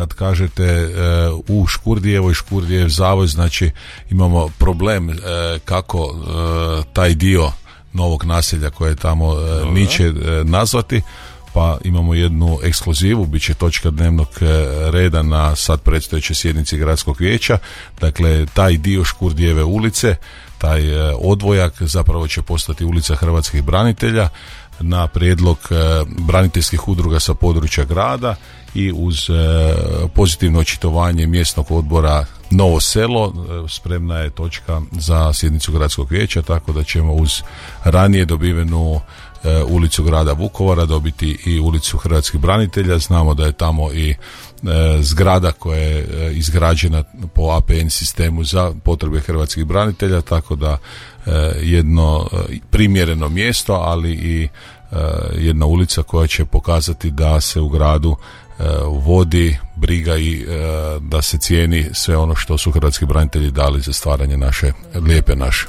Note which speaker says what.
Speaker 1: kad kažete u Škurdijevoj, Škurdijev zavoj, znači imamo problem kako taj dio novog naselja koje tamo niče nazvati, pa imamo jednu ekskluzivu, bit će točka dnevnog reda na sad predstojećoj sjednici gradskog vijeća. Dakle, taj dio Škurdijeve ulice, taj odvojak zapravo će postati ulica hrvatskih branitelja na prijedlog braniteljskih udruga sa područja grada i uz pozitivno očitovanje mjesnog odbora Novo Selo spremna je točka za sjednicu gradskog vijeća, tako da ćemo uz ranije dobivenu ulicu grada Vukovara dobiti i ulicu hrvatskih branitelja. Znamo da je tamo i zgrada koja je izgrađena po APN sistemu za potrebe hrvatskih branitelja, tako da jedno primjereno mjesto, ali i jedna ulica koja će pokazati da se u gradu vodi briga i da se cijeni sve ono što su hrvatski branitelji dali za stvaranje naše lijepe naše.